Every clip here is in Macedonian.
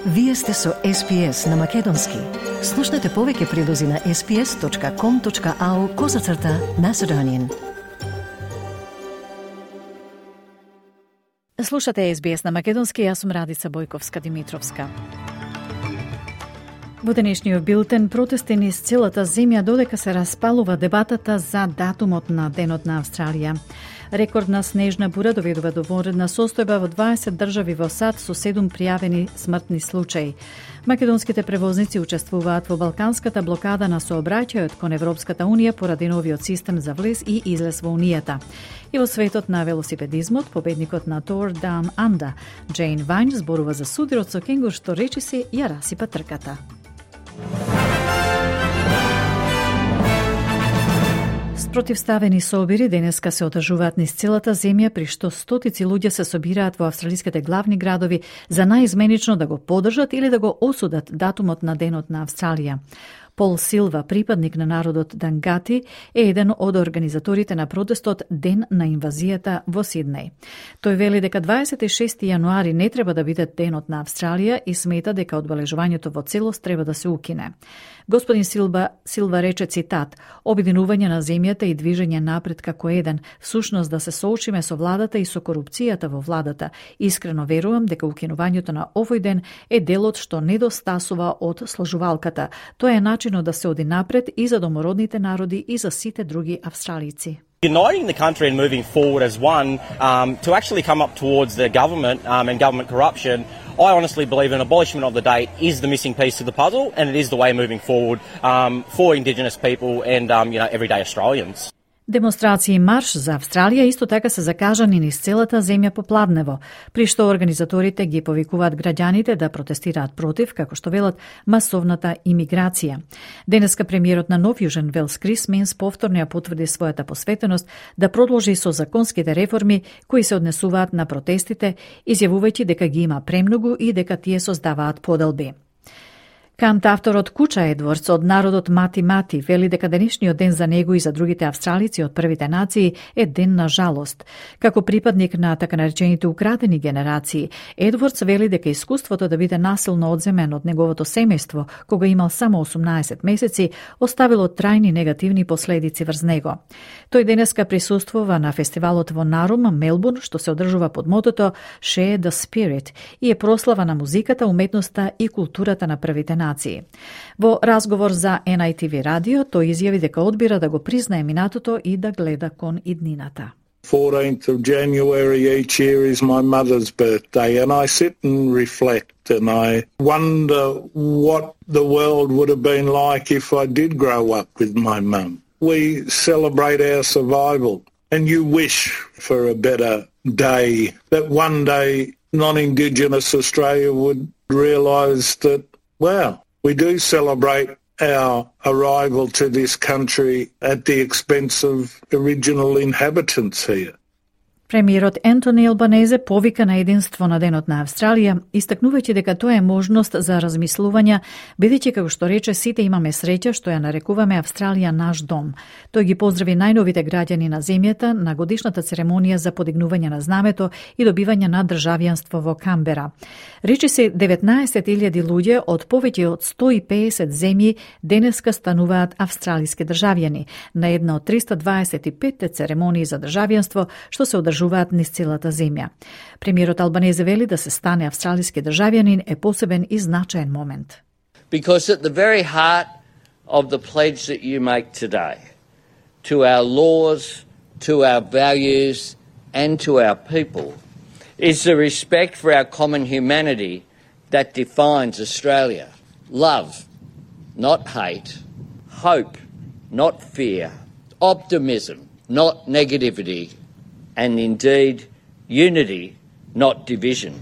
Вие сте со SPS на Македонски. Слушнете повеќе прилози на sps.com.au/Macedonian. Слушате SBS на Македонски, јас сум Радица Бојковска-Димитровска. Во денешниот билтен протести низ целата земја додека се распалува дебатата за датумот на Денот на Австралија. Рекордна снежна бура доведува до вонредна состојба во 20 држави во САД со 7 пријавени смртни случаи. Македонските превозници учествуваат во балканската блокада на сообраќајот кон Европската Унија поради новиот систем за влез и излез во Унијата. И во светот на велосипедизмот, победникот на Tour Down Under, Джейн Вајн, зборува за судирот со кенгур што речиси ја расипа трката. Спротивставени собири денеска се одржуваат низ целата земја, при што стотици луѓе се собираат во австралиските главни градови за наизменично да го поддржат или да го осудат датумот на Денот на Австралија. Пол Силва, припадник на народот Дангати, е еден од организаторите на протестот Ден на инвазијата во Сиднеј. Тој вели дека 26 јануари не треба да биде Денот на Австралија и смета дека одбележувањето во целост треба да се укине. Господин Силва рече, цитат, обединување на земјата и движење напред како еден, всушност да се соочиме со владата и со корупцијата во владата. Искрено верувам дека укинувањето на овој ден е делот што недостасува од сложувалката. Тоа е начинот да се оди напред и за домородните народи и за сите други австралици. Uniting the country and moving forward as one to actually come up towards the government and government corruption, I honestly believe an abolishment of the date is the missing piece to the puzzle, and it is the way moving forward for Indigenous people and everyday Australians. Демонстрации и марш за Австралија исто така се закажани низ целата земја попладнево, при што организаторите ги повикуваат граѓаните да протестираат против, како што велат, масовната имиграција. Денеска премиерот на Нов Јужен Велс Крис Минс повторно ја потврди својата посветеност да продолжи со законските реформи кои се однесуваат на протестите, изјавувајќи дека ги има премногу и дека тие создаваат поделби. Кантавторот Куча Едвардс од народот Мати Мати вели дека денешниот ден за него и за другите австралици од првите нации е ден на жалост. Како припадник на така наречените украдени генерации, Едвардс вели дека искуството да биде насилно одземен од неговото семејство, кога имал само 18 месеци, оставило трајни негативни последици врз него. Тој денеска присуствува на фестивалот во Нарум, Мелбурн, што се одржува под мотото Share the Spirit и е прослава на музиката, уметноста и културата на првите нации. Во разговор за NITV радио, тој изјави дека одбира да го признае минатото и да гледа кон иднината. 14th of January each year is my mother's birthday, and I sit and reflect and I wonder what the world would have been like if I did grow up with my mum. We celebrate our survival, and you wish for a better day, that one day non-Indigenous Australia would realise that, well, we do celebrate our arrival to this country at the expense of original inhabitants here. Премиерот Ентони Албанезе повика на единство на Денот на Австралија, истакнувајќи дека тоа е можност за размислување, бидејќи како што рече сите имаме среќа што ја нарекуваме Австралија наш дом. Тој ги поздрави најновите граѓани на земјата на годишната церемонија за подигнување на знамето и добивање на државјанство во Камбера. Речи се 19.000 луѓе од повеќе од 150 земји денеска стануваат австралиски државјани на една од 325 церемонии за државјанство што се одржуваат низ целата земја. Премиерот Албанезе вели да се стане австралиски државјанин е посебен и значаен момент. Because at the very heart of the pledge that you make today, to our laws, to our values and to our people, is the respect for our common humanity that defines Australia. Love, not hate. Hope, not fear. Optimism, not negativity. And indeed, unity, not division.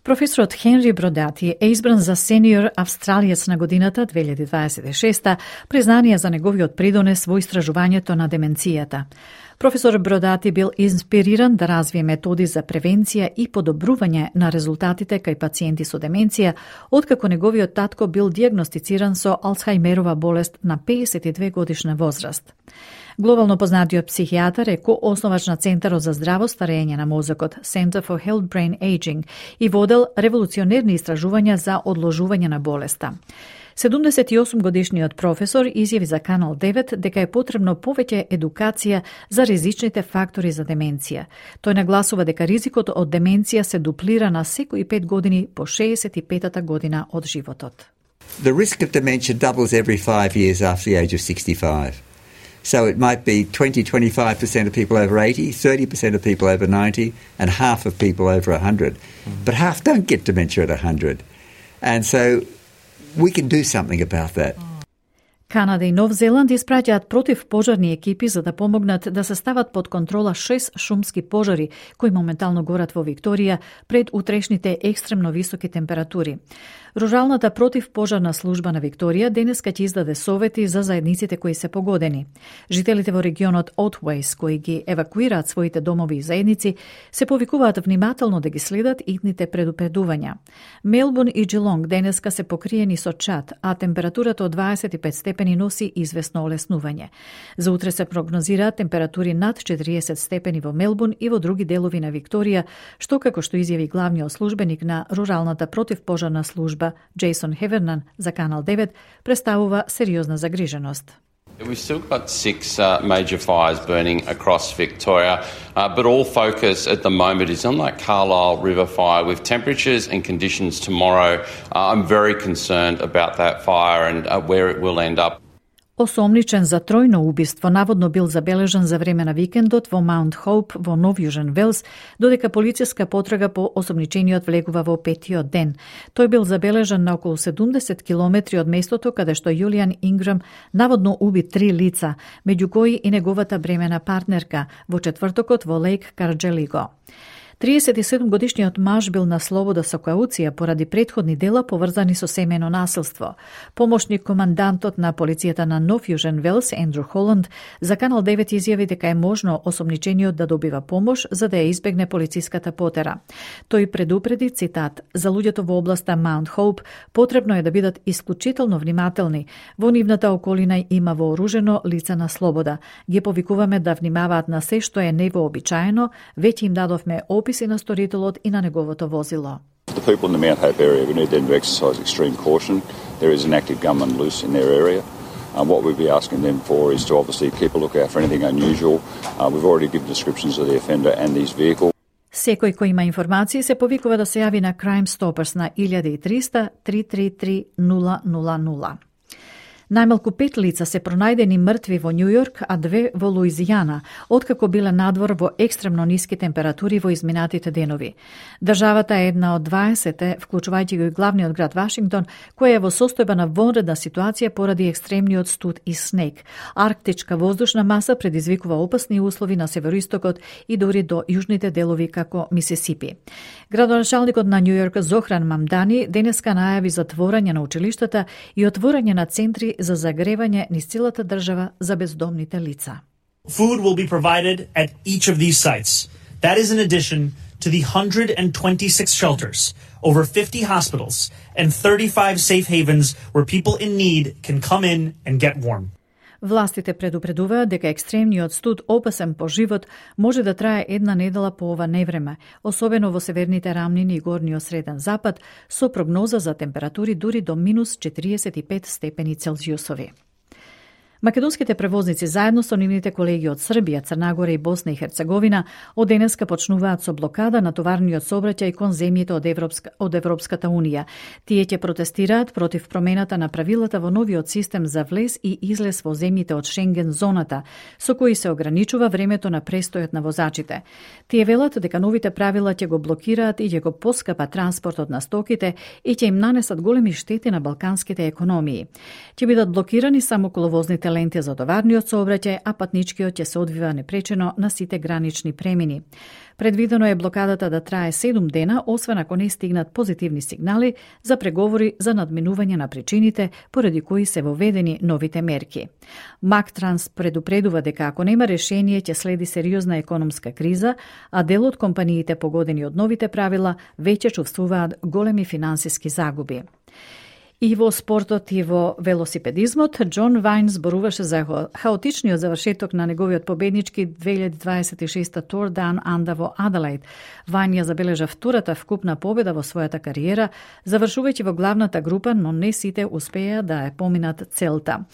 Професорот Хенри Бродати е избран за сениор австралиец на годината 2026, признание за неговиот придонес во истражувањето на деменцијата. Професор Бродати бил инспириран да развие методи за превенција и подобрување на резултатите кај пациенти со деменција, откако неговиот татко бил дијагностициран со Алцхајмерова болест на 52 годишна возраст. Глобално познатиот психијатар е коосновач на Центарот за здраво старење на мозокот Center for Health Brain Aging и водел револуционерни истражувања за одложување на болеста. 78-годишниот професор изјави за Канал 9 дека е потребно повеќе едукација за ризичните фактори за деменција. Тој нагласува дека ризикот од деменција се дуплира на секои 5 години по 65-та година од животот. The risk of dementia doubles every 5 years after the age of 65. So it might be 20-25% of people over 80, 30% of people over 90, and half of people over 100. But half don't get dementia at 100. And so we can do something about that. Канада и Нов Зеланд испраќаат противпожарни екипи за да помогнат да се стават под контрола 6 шумски пожари кои моментално горат во Викторија пред утрешните екстремно високи температури. Руралната противпожарна служба на Викторија денеска ќе издаде совети за заедниците кои се погодени. Жителите во регионот Отвейс, кои ги евакуираат своите домови и заедници, се повикуваат внимателно да ги следат итните предупредувања. Мелбурн и Джилонг денеска се покриени со чад, а температурата од 25 степени носи известно олеснување. За утре се прогнозираат температури над 40 степени во Мелбурн и во други делови на Викторија, што како што изјави главниот службеник на руралната противпожарна служба Джейсон Хевернан за Канал 9 представува сериозна загриженост. We've still got 6 major fires burning across Victoria, but all focus at the moment is on that Carlisle River fire. With temperatures and conditions tomorrow, I'm very concerned about that fire and where it will end up. Осомничен за тројно убиство наводно бил забележан за време на викендот во Маунт Хоуп во Нов Јужен Велс, додека полициска потрага по осомничениот влегува во петиот ден. Тој бил забележан на околу 70 километри од местото каде што Јулијан Инграм наводно уби 3 лица, меѓу кои и неговата бремена партнерка, во четвртокот во Лейк Карџелиго. 37-годишниот маж бил на слобода со кауција поради претходни дела поврзани со семејно насилство. Помошник командантот на полицијата на Нов Јужен Велс, Ендрю Холанд, за Канал 9 изјави дека е можно осомничениот да добива помош за да ја избегне полициската потера. Тој предупреди, цитат, за луѓето во областа Маунт Хоуп потребно е да бидат исклучително внимателни. Во нивната околина има вооружено лице на слобода. Ги повикуваме да внимаваат на се што е невообичаено, веќе им дадовме описи на сторителот и на неговото возило. The people in the Mount Hope area, we need them to exercise extreme caution. There is an active gunman loose in their area. What we'd be asking them for is to obviously keep a lookout for anything unusual. We've already given descriptions of the offender and his vehicle. Секој кој има информации се повикува да се јави на Crime Stoppers на 1300 333 000. Најмалку 5 лица се пронајдени мртви во Њу Јорк, а 2 во Луизијана, откако биле надвор во екстремно ниски температури во изминатите денови. Државата е една од 20, вклучувајќи го и главниот град Вашингтон, која е во состојба на вонредна ситуација поради екстремниот студ и снег. Арктичка воздушна маса предизвикува опасни услови на североистокот и дори до јужните делови како Мисисипи. Градоначалникот на Њу Јорк Зохран Мамдани денеска најави затворање на училиштата и отворање на центри за загревање низ целата држава за бездомните лица. Food will be provided at each of these sites. That is in addition to the 126 shelters, over 50 hospitals, and 35 safe havens where people in need can come in and get warm. Властите предупредуваат дека екстремниот студ опасен по живот може да трае една недела по ова невреме, особено во северните рамнини и горниот среден запад, со прогноза за температури дури до минус 45 степени Целзиусови. Македонските превозници заедно со нивните колеги од Србија, Црна Гора и Босна и Херцеговина од денеска почнуваат со блокада на товарниот сообраќај кон земјите од Европската Унија. Тие ќе протестираат против промената на правилата во новиот систем за влез и излез во земјите од Шенген зоната, со кои се ограничува времето на престојот на возачите. Тие велат дека новите правила ќе го блокираат и ќе го поскапа транспортот на стоките и ќе им нанесат големи штети на балканските економии. Ќе бидат блокирани само коловозните ленти за товарниот сообраќај, а патничкиот ќе се одвива непречено на сите гранични премини. Предвидено е блокадата да трае 7 дена, освен ако не стигнат позитивни сигнали за преговори за надминување на причините поради кои се воведени новите мерки. Мактранс предупредува дека ако нема решение ќе следи сериозна економска криза, а дел од компаниите погодени од новите правила веќе чувствуваат големи финансиски загуби. И во спортот и во велосипедизмот, Џон Вајн зборуваше за хаотичниот завршеток на неговиот победнички 2026 Tour Down Under во Аделаид. Вајн ја забележа втората вкупна победа во својата кариера, завршувајќи во главната група, но не сите успеа да ја поминат целта.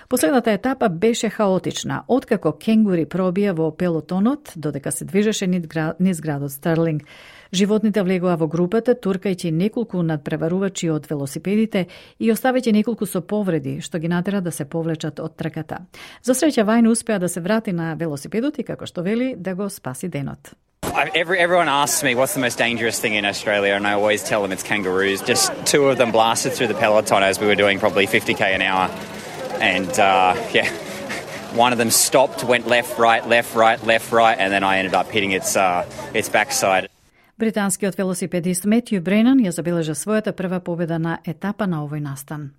Последната етапа беше хаотична, откако кенгури пробија во пелотонот, додека се движеше низ градот Стерлинг. Животните влегоа во групата, туркајќи неколку надпреварувачи од велосипедите и оставајќи неколку со повреди, што ги натера да се повлечат од трката. За среќа, Вајн успеа да се врати на велосипедот и, како што вели, да го спаси денот. Everyone asks me what's the most dangerous thing in Australia, and I always tell them it's kangaroos. Just two of them blasted through the peloton as we were doing probably 50k an hour. And one of them stopped, went left, right, and then I ended up hitting its backside. Британскиот велосипедист Метју Бренан ја забележа својата прва победа на етапа на овој настан.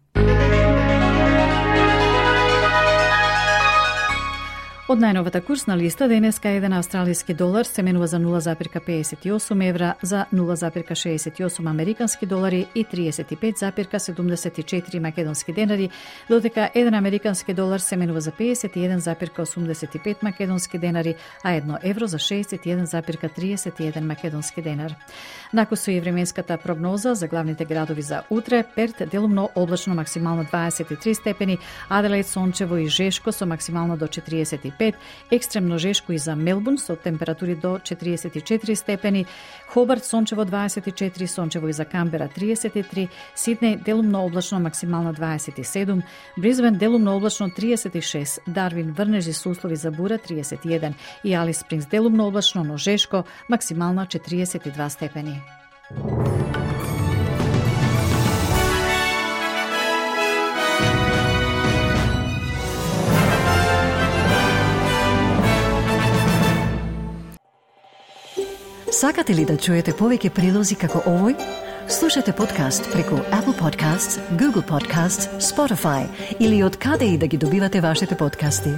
Од најновата курсна листа, денеска еден австралиски долар се менува за 0,58 евра, за 0,68 американски долари и 35,74 македонски денари, додека еден американски долар се менува за 51,85 македонски денари, а 1 евро за 61,31 македонски денар. Накусу и временската прогноза за главните градови за утре: Перт делумно облачно максимално 23 степени, Аделаид сончево и жешко со максимално до 45, екстремно жешко и за Мелбурн со температури до 44 степени, Хобарт сончево 24, сончево и за Камбера 33, Сиднеј делумно облачно максимално 27, Бризбен делумно облачно 36, Дарвин врнежи со услови за бура 31 и Алис Спрингс делумно облачно, но жешко, максимално 42 степени. Сакате ли да чуете повеќе прилози како овој? Слушате подкаст преку Apple Podcasts, Google Podcasts, Spotify или од каде и да ги добивате вашите подкасти.